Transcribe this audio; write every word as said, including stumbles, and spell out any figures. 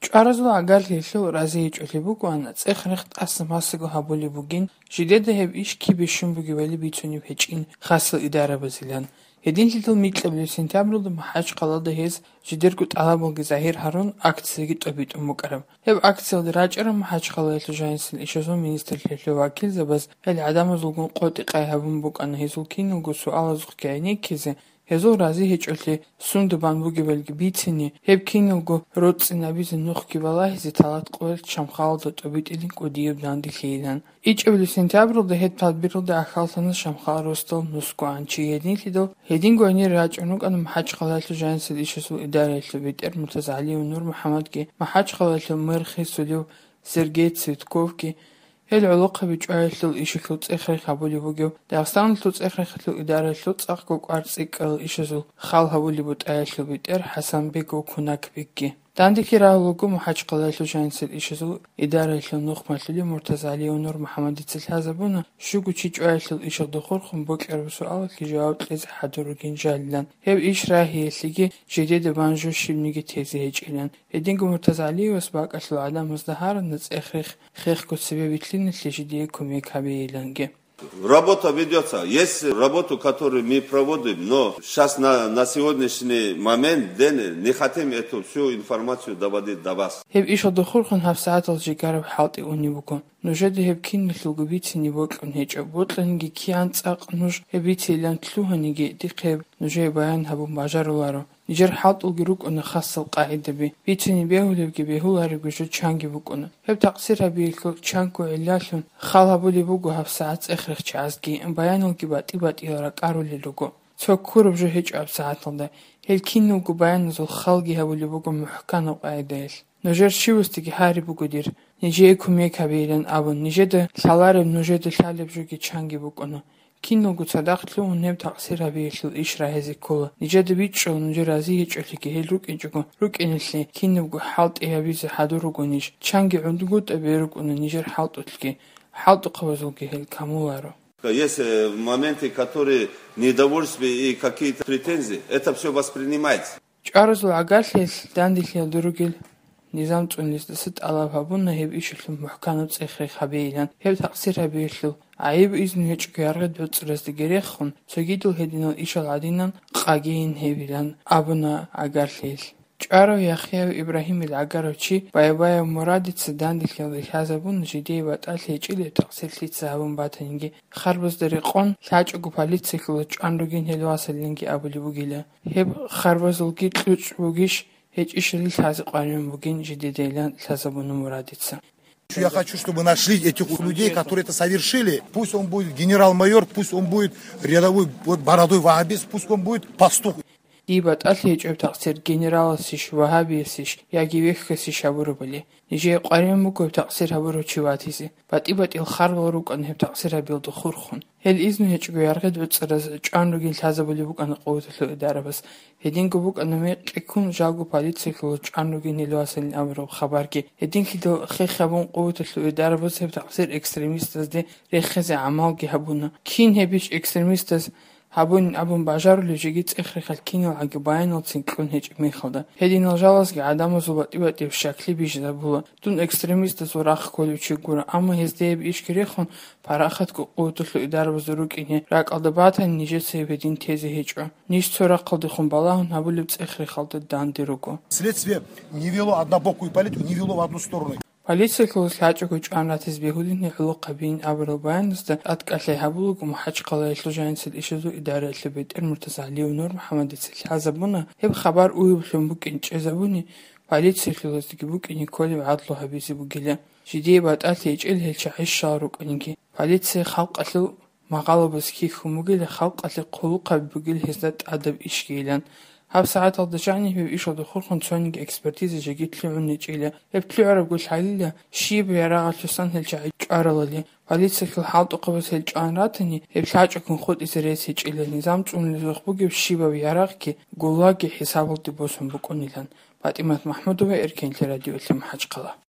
ЧӀваразул гӀагарлъиялъул разиячӀолъи бугоан, цӀех-рех тӀаса-масаго гьабулеб бугин, жидеда гьеб иш кибе щун бугебали бицунеб гьечӀин хасал идарабазилан. Гьединлъидал микьабилеб сентябралда МахӀачхъалада гьез жидерго тӀалабалги загьир гьарун, акцияги тӀобитӀун букӀараб. Гьеб акциялда рачӀараб МахӀачхъалаялъул жанисел ишазул министрлъиялъул вакилзабаз гьел гӀадамазулгун къотӀи-къай гьабун букӀана гьезул киналго суалазухъги гӀенеккизе, гьезул рази гьечӀолъи сунда бан бугебалги бицине, гьеб киналго роцӀцӀинабизе нухги балагьизе талат къоялъ Шамхалалда тӀобитӀилин кӀудияб данделъийилан. ИчӀабилеб сентябралда гьеб тадбиралда ахьаллъана Шамхал росдал нусгоанчи гьединлъидал, гьединго гьанир рачӀун рукӀана МахӀачхъалаялъул жанисел ишазул идараялъул бетӀер МуртазагӀалиев Нурмухьаммадги, МахӀачхъалаялъул мэр хисулев Сергей Цветковги. Гьел гӀолохъаби чӀваялъул ишалъул цӀех-рех гьабулеб бугев Дагъистаналъул цӀех-рехалъул идараялъул цӀакъго кӀвар-цӀикӀкӀарал ишазул хал гьабулеб бутӀаялъул бетӀер ХӀасанбегов Кунакбекги. Данделъи рагьулаго МахӀачхъалаялъул жанисел ишазул идараялъул нухмалъулев МуртазагӀалиев Нурмухьаммадица лъазабуна, щуго чи чӀваялъул ишалда хурхун бокьараб суалалъе жаваб кьезе хӀадур ругин жалилан. Гьеб иш рагьиялъеги жидеда бан жо щибниги тезе гьечӀилан. Гьединго МуртазагӀалиевас бакӀалъул гӀадамазда гьарана цӀех-рех хехго цебе вилълъиналъе жидее кумек гьабейиланги. Работа ведётся. Есть работу, которую мы проводим, но щас на, на сегодняшний момент, день, не хотим эту всю информацию доводить до вас. Гьеб ишалда хурхун гьабсагӀаталъ жигараб хӀалтӀи унеб буго. Нужеда гьеб киналъулго бицине бокьун гьечӀо. Бокьаниги кигӀан цӀакъ нуж гьеб бицейилан лъугьаниги, дихъе гьеб нужее баян гьабун бажаруларо. Нижер хӀалтӀулги рукӀуна хасал къагӀидаби, бицине бегьулебги бегьуларебги жо чанги букӀуна. Гьеб такъсир гьабиялъул чанго гӀиллалъун хал гьабулеб буго гьабсагӀат цӀех-рехчагӀазги, баяналги батӀи-батӀиял ракӀарулел руго. Цо ккураб жо гьечӀо гьабсагӀаталда. Гьел киналго баяназул халги гьабулеб буго мухӀканаб къагӀидаялъ. Нужер щивасдаги гьариб буго дир, нижее кумек гьабейилан абун, нижеда лъалареб, нужеда лъалеб жоги чанги букӀуна. Киналго цадахъ лъугьун гьеб такъсир гьабиялъул иш рагьизе ккола. Нижеда бичӀчӀула, нужер рази гьечӀолъиги гьел рукӀинчӀого рукӀиналъе кинабго хӀалтӀи гьабизе хӀадур ругонищ, чанги гӀундгутӀаби рукӀуна нижер хӀалтӀулъги, хӀалтӀухъабазулги гьел камуларо. Есть, э, моменты, которые недовольствие и какие-то претензии, это всё воспринимается. ЧӀваразул гӀагарлъиялъ данделъиялда ругел низам цӀунулесдаса тӀалаб гьабуна гьеб ишалъул мухӀканаб цӀех-рех гьабейилан. Гьеб такъсир гьабиялъул гӀайиб изну гьечӀого яргъи-доцӀраздаги рехун, цогидал гьединал ишал гӀадинан къагейин гьебилан абуна гӀагарлъиялъ. ЧӀварав Яхъяв Ибрагьимил гӀагарав чи Байбаев Мурадица данделъиялда лъазабуна жидее батӀалъи гьечӀила такъсир лъица гьабун батаниги, харбазда рекъон лъачӀого полициялъула чӀван ругин гьел васалиланги абулеб бугила. Гьеб харбазулги кьучӀ бугищ, гьечӀищали лъазе къваригӀун бугин жидедайилан лъазабуна Мурадица. Я хочу, чтобы нашли этих людей, которые это совершили. Пусть он будет генерал-майор, пусть он будет рядовой, вот, бородой вагьабист, пусть он будет пастух. Дие батӀалъи гьечӀеб такъсир генераласищ, вагьабиясищ яги вехьасищ гьабурабали. Нижее къваригӀун буго гьеб такъсир гьабурав чи ватизе. БатӀи-батӀиял харбал рукӀана гьеб такъсир гьабиялда хурхун. Гьел изну гьечӀого яргъи-доцӀраз чӀван ругин лъазабулеб букӀана къуваталъул идарабаз. Гьединго букӀана мекъи ккун жалго полициялъула чӀван ругин гьел васалин абураб хабарги. Гьединлъидал хех гьабун къуваталъул идарабаз гьеб такъсир экстремистазде рехизе гӀамалги гьабуна. Кин гьебищ экстремистаз гьабунин абун бажарулев жеги цӀех-рехалъ киналгӀаги баяналцин кьун гьечӀеб мехалда. Гьединал жалазги гӀадамазул батӀи-батӀияб щаклъи бижизабула. Дун экстремистазул рахъ кколев чи гуро, амма гьезда гьеб ишги рехун, парахатго къуваталъул идарабазда рукӀине ракӀалда батани, нижеца гьеб гьедин тезе гьечӀо. Ниж цо рахъалдехун балагьун гьабулеб цӀех-рехалда данде руго. Следствие не вело однобокую политику, не вело в одну сторону. Полициялъулас лъачӀого чӀван ратизе бегьулин гьел гӀолохъабиин абурал баяназда тӀадкӀалъи гьабулаго МахӀачхъалаялъул жанисел ишазул идараялъул бетӀер МуртазагӀалиев Нурмухьаммадица лъазабуна, гьеб хабар уйублъун букӀин чӀезабуни, полициялъулаздаги букӀине кколеб гӀадлу гьабизе бугила. Жидее батӀалъи гьечӀел гьел чагӀи щал рукӀаниги, полиция халкъалъул магъалабаз хьихьун бугила, халкъалъе хъулухъаби бугила гьезда тӀадаб ишгийилан. ГьабсагӀаталда жаниб гьеб ишалда хурхун цониги экспертиза жеги лъугӀун гьечӀила. Гьеб лъугӀарабго лъалила, щибаб ярагъалъусан гьел чагӀи чӀваралали. Полициялъул хӀалтӀухъабаз гьел чӀван ратани, гьеб лъачӀогун хутӀизе рес гьечӀила, низам цӀунулезухъ бугеб щибаб ярагъги, гуллагги хӀисабалде босун букӀунилан. ПатӀимат МахӀмудова, Эркенлъи радиолъи, МахӀачхъала.